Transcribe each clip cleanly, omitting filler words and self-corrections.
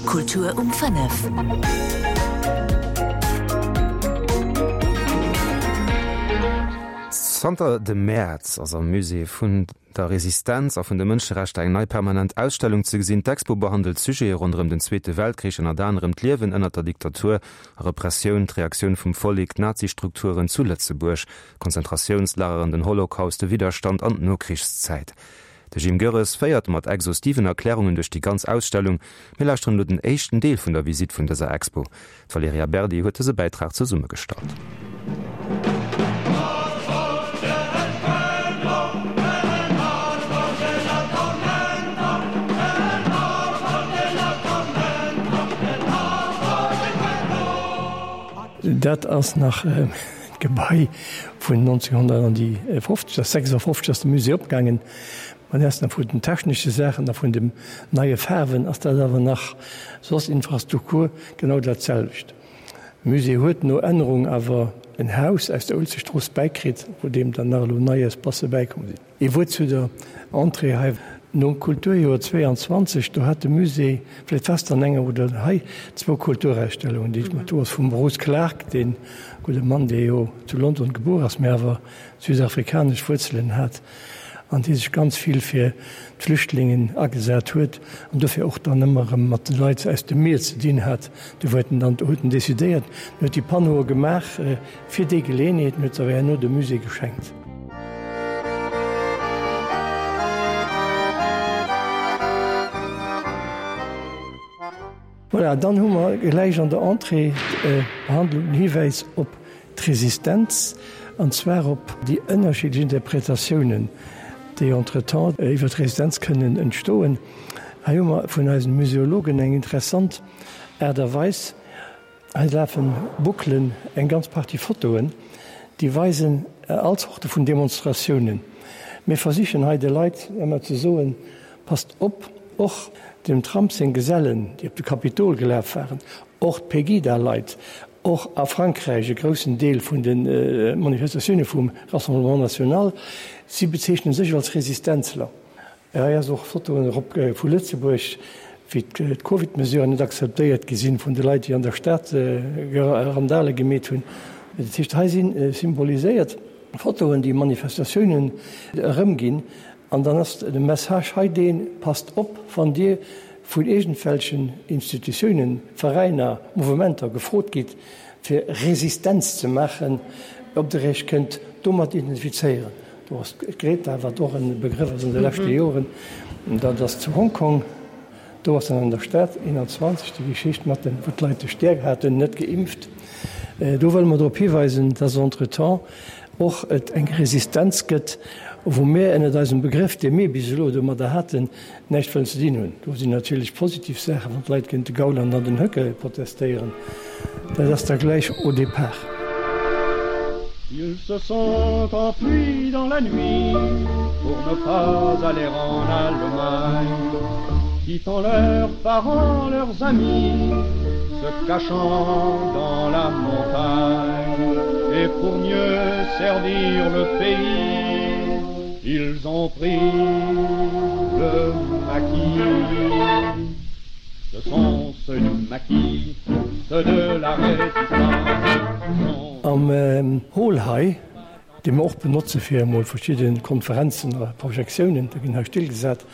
Kultur um 5. Zanter dem Mäerz ass am Musée vun der Resistenz a vun de Mënscherechter eng nei permanent Ausstellung ze gesinn. D'Expo behandelt Sujete ronderëm den Zweete Weltkrich, ënnert anerem d'Liewen ënnert der Diktatur a Repressioun, d'Reaktioun vum Vollek, d'Nazi-Strukturen zu Lëtzebuerg, Konzentratiounslageren, den Holocaust, de Widderstand an d'Nokrichszäit. De Jim Goerres féiert mat exhaustiven Erklärungen duerch déi ganz Ausstellung. Mir lauschteren elo den éischten Deel vun der Visitt vun dëser Expo. D'Valerija Berdi huet dëse Bäitrag zesummegestallt. Dat ass nach d'Gebai vun 1950, 56 ass de Musée opgaangen. Mä dat ass nach vun den technesche Saachen a vun de neie Faarwen ass dat awer nach soss Infrastruktur genau dat selwecht. De Musée huet no Ännerung awer en Haus aus der Uelzechtstrooss bäikritt, wou deem dann nach elo nei Espacë bäikomm sinn. Ee Wuert zu der Entrée hei. Nom Kulturjoer 22, do hat de Musée, vläicht war s de an enger oder hei, zwou Kulturausstellungen, déi do ass vum Bruce Clark, dee gudde Mann, dee jo zu London gebuer ass, mä awer südafrikanesch Wuerzelen hat an dee sech ganz vill fir d'Flüchtlingen agesat huet an dofir och dann ëmmer erëm mat de Leit aus dem Mier ze dinn hat. Do huet en dann, do huet en decidéiert, en huet déi Panneaue gemaach fir déi Geleeënheet en huet se awer herno dem Musée geschenkt. Voilà, dann hu mer gläich an der Entrée d'Behandlung, den Hiwäis op d'Resistenz, an zwar op déi ënnerschiddlech Interpretatiounen, déi entretemps iwwer d'Resistenz kënnen entstoen. Hei hu mer vun eisen Museologen eng interessant Aart a Weis, Hei lafen Bouclen, eng ganz Partie Fotoen, déi weisen all Zorte vun Demonstratiounen. Mir versichen hei de Leit ëmmer ze soen, Passt op, och dem Trump seng Gesellen, déi op de Kapitol gelaf waren, och d'Pegida-Leit, och a Frankräich e groussen Deel vun de Manifestatioune vum Rassemblement National, si bezeechne sech als Resistenzler. Hei ass och Fotoen erop vu Lëtzebuerg, wéi d'Covid-Mesuren net akzeptéiert gi sinn vun de Leit, déi an der Stad Randale gemeet hunn. Dat heescht, hei si symboliséiert Fotoen, déi Manifestatiounen erëmginn. An dann ass de Message hei deen, Passt op, wann Dir vun iergendwelchen Institutiounen, Veräiner, Mouvementer gefrot gitt, fir Resistenz ze maachen, ob Der Iech kënnt domat identifizéieren. Do ass d'Greta, wat och e Begrëff ass an de leschte Joren, dat ass zu Hongkong, do ass dann an der Stad 21 déi Geschicht mat den, wou d'Leit de Stäerk haten, net geimpft. Do wëlle mer drop hiweisen, dass entretemps och et eng Resistenz gëtt, wou mir ënnert eisem Begrëff, dee mir bis elo domadder haten, näischt wëllen ze dinn hunn. Do sinn natierlech positiv Saachen, wann d'Leit géint de Gauland an den Höcke protestéieren, dat ass da gläich au départ. Ils se sont enfuis dans la nuit pour ne pas aller en Allemagne, quittant leurs parents, leurs amis, se cachant dans la montagne et pour mieux servir le pays, ils ont pris le maquis. Ce sont ceux du maquis, ceux de la résistance. Am Hall hei, dee mer och benotze fir emol verschidde Konferenzen a Projektiounen, do ginn hei Still gesat,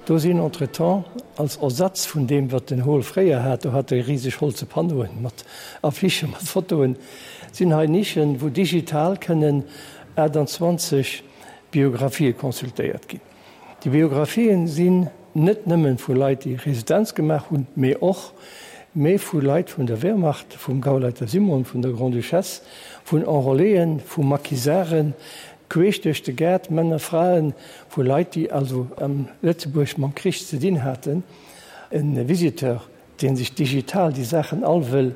do sinn entretemps als Ersatz vun deem, wat den Hall fréier hat, do hat e riseg holze Panneauen mat Affichen, mat Fotoen, sinn hei Nischen, wou digital kënnen 28 Biographië consultéiert ginn. Déi Biographien sinn net nëmmen vu Leit, déi Resistenz gemaach hunn, mee och mee vu Leit vun der Wehrmacht, vum Gauleiter Simon, vun der Grande-Duchesse, vun Enrôléen, vu Maquisarden, queesch duerch de Gaart, Männer, Fraen, vu Leit, déi also am Lëtzebuerg mam Krich ze dinn haten. E Visiteur Deen sech digital déi Saachen all wëll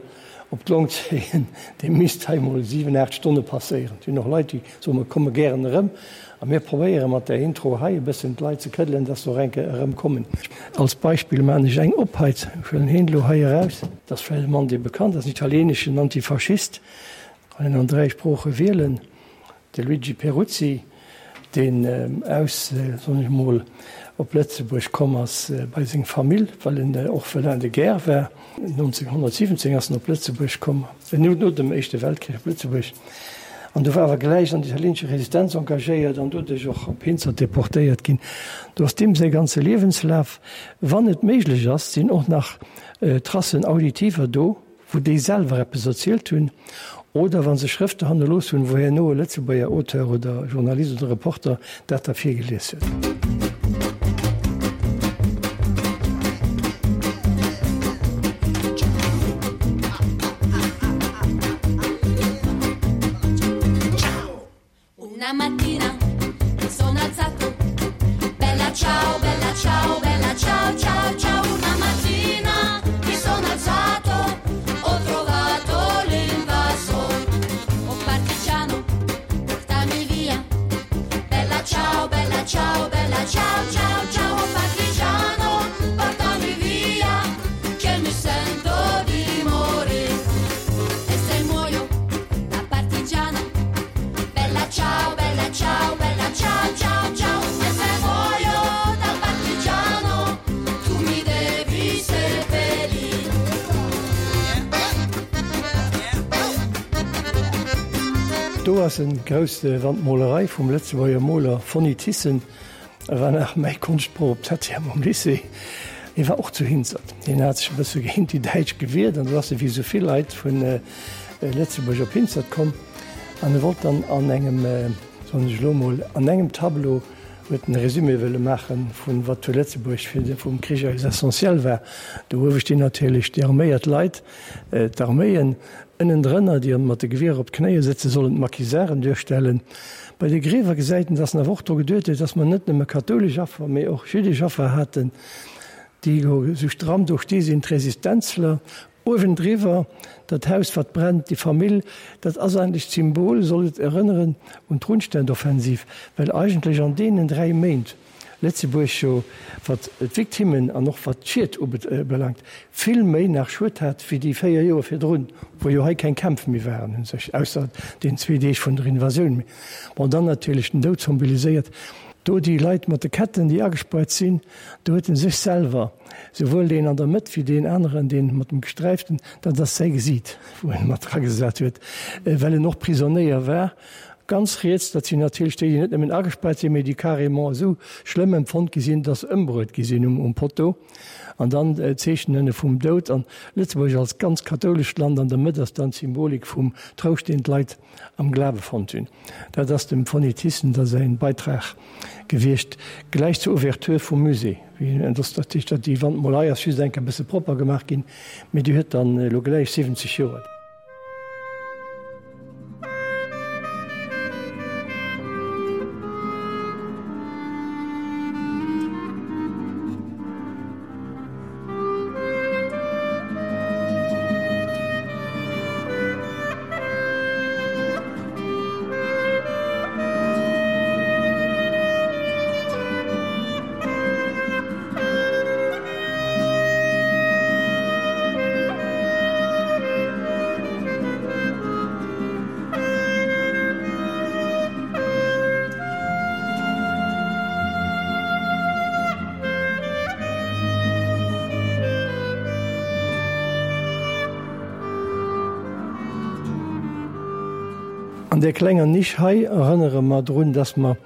op d'Long zéien, dee misst hei mol 7, 8 Stonne passéieren. Et sinn och Leit, déi soen, mer komme gären erëm. A mir probéiere mat där Intro hei e bëssen d'Leit ze këddelen, dass se och eng Kéier erëmkommen. Als Beispill maachen ech eng op hei, ech huelen heen elo hei eraus. Dat ass vläicht e Mann, dee bekannt ass, en italieeneschen Antifaschist, kann een an 3 Sprooche wielen, de Luigi Peruzzi. deen aus, soen ech emol, op Lëtzebuerg komm ass bei seng Famill, well en och Orphelin de guerre war. 1917 ass en op Lëtzebuerg komm, no dem Éischte Weltkrich op Lëtzebuerg, an du war awer gläich an der italieenescher Resistenz engagéiert an doduerch och op Hinzert deportéiert ginn. Do ass deem säi ganze Liewenslaf, wann et méiglech ass, sinn och nach Tracen auditiver do, wou déi selwer eppes erzielt hunn, oder wa se Schrëfte hannerlooss hunn, wou herno e Lëtzebuerger Auteur oder Journalist oder Reporter dat da virgelies huet. Do ass en grouss Wandmolerei vum Lëtzebuerger Moler Fonny Thyssen. E war nach mäi Konschtprof op Septième am Lycée. Hie war och zu Hinzert. Hien hat sech e bësse géint déi Däitsch gewiert an du ass e wéi esou vill Leit vu Lëtzebuerg op Hinzert komm. An e wollt dann an engem, soen ech elo mol, an engem Tableau huet en e Résumé wëlle maache vun wat zu Lëtzebuerg fir de vum Krich eis essentiel war. Do uewe stinn natierlech déi arméiert Leit, d'Arméien, ënnendrënner, déi mat de Gewierer op d'Knéie sëtzen, sollen d'Maquisarden duerstellen. Bei de Griewer gesäit en, dass en awer och dru geduet huet, dass mer net nëmme kathoulesch Affer, mee och jüddesch Affer haten, déi esou stramm do sti sinn, d'Resistenzler. Uewendriwwer dat Haus, wat brennt, déi Famill, dat ass eigentlech d'Symbol, soll et erënneren un d'Rundstedtoffensiv, well eigentlech an deenen 3 Méint Lëtzebuerg jo, wat d'Victimmen an och wat d'Schied ubelaangt, vill méi nach Schued hat wéi déi 4 Joer virdrun, wou jo hei keng Kämpf méi waren u sech, ausser den zwee Deeg vun der Invasioun. Bon, dann natierlech den Doud symboliséiert do déi Leit mat de Ketten, déi agespaart sinn, do huet en sech selwer, souwuel deen an der Mëtt wéi deen aneren, deen mat dem Gesträiften, dat ass säi Gesiit, wou en mat dragesat huet, well en och Prisonéier war. Ganz riets, dat sinn natierlech déi, déi net nëmmen agespaart sinn, mee déi carrément esou schlëmm empfonnt gi sinn, dass se ëmbruet gi sinn um Poteau. An dann d'Zeechen ënne vum Doud. An Lëtzebuerg als ganz kathoulescht Land an der Mëtt ass dann d'Symbolik vum Trouscht, deen d'Leit am Glawe fonnt hunn. Dat ass dem Fonny Thyssen da säin Beitrag gewiescht, gläich zur Ouverture vum Musée. Dat heescht, déi Wandmolerei ass just eng Kéier e bësse propper gemaach ginn, mee déi huet dann elo gläich 70 Joer. An där klenger Nisch hei erënnere mer drun, dass mer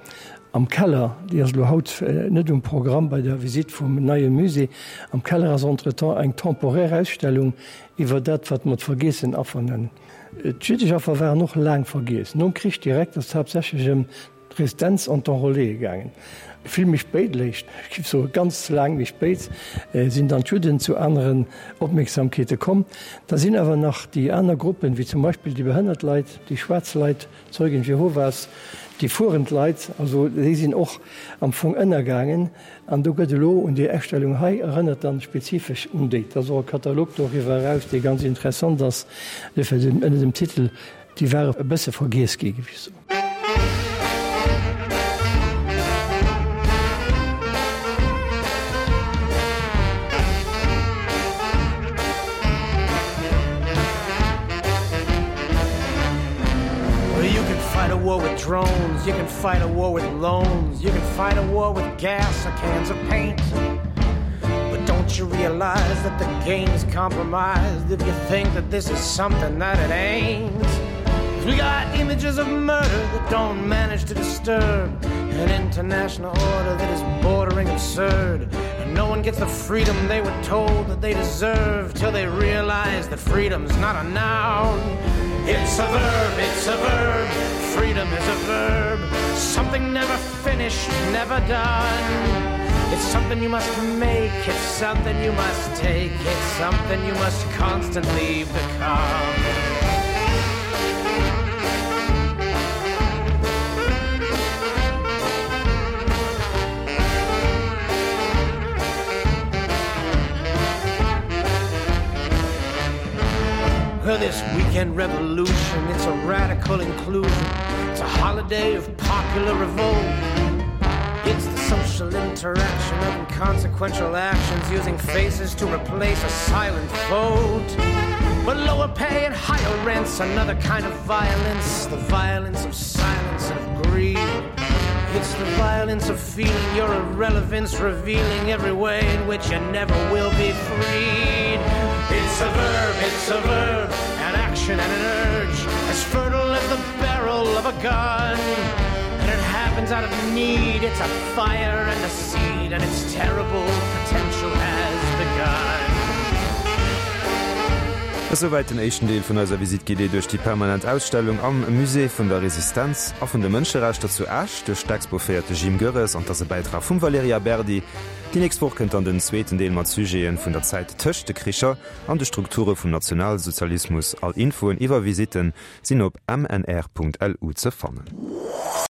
am Keller, déi ass elo haut net um Programm bei der Visitt vum neie Musée, am Keller ass entretemps eng temporaire Ausstellung iwwer dat, wat mer d'vergeessen Affer nennen. D'jüddesch Affer waren och laang vergiess. Nom Krich direkt ass et haaptsächlech ëm d'Resistenz an d'Enrôléeë gaangen. Vill méi spéit, léischt, ech géif soe ganz laang méi spéit, sinn dann d'Judden zu aneren Opmierksamkeete komm. Da sinn awer nach déi aner Gruppen, wéi zum Beispill déi behënnert Leit, déi schwaarz Leit, d'Zeugen Jehovas, déi fuerend Leit, also déi sinn och am Fong ënnergaangen. An do gëtt elo un déi Ausstellung hei erënnert dann spezifesch un déi. Et ass och e Katalog doriwwer eraus, dee ganz interessant ass, ënner dem Titel Déi ware e bësse vergiess gi, géif ech soen. war with drones, you can fight a war with loans, you can fight a war with gas or cans of paint. But don't you realize that the game's compromised if you think that this is something that it ain't? 'Cause we got images of murder that don't manage to disturb an international order that is bordering absurd. And no one gets the freedom they were told that they deserve till they realize that freedom's not a noun. It's a verb, it's a verb, freedom is a verb, something never finished, never done. It's something you must make, it's something you must take, it's something you must constantly become. Well, this weekend revolution, it's a radical inclusion. It's a holiday of popular revolt. It's the social interaction of inconsequential actions using faces to replace a silent vote. But lower pay and higher rents, another kind of violence, the violence of silence and of greed. It's the violence of feeling your irrelevance, revealing every way in which you never will be freed. It's a verb, it's a verb, an action and an urge, as fertile as the barrel of a gun. And it happens out of need, it's a fire and a seed, and its terrible potential has begun. Esouwäit den éischten Deel vun eiser Visite guidée duerch déi permanent Ausstellung am Musée vun der Resistenz a vun de Mënscherechter zu Esch. Duerch d'Expo féiert de Jim Goerres an 't ass e Bäitrag vum Valerija Berdi. Déi nächst Woch kënnt dann den zweeten Deel mat Sujete vun der Zäit tëscht de Kricher an de Strukture vum Nationalsozialismus. All Infoen iwwer Visitten sinn op mnr.lu ze fannen.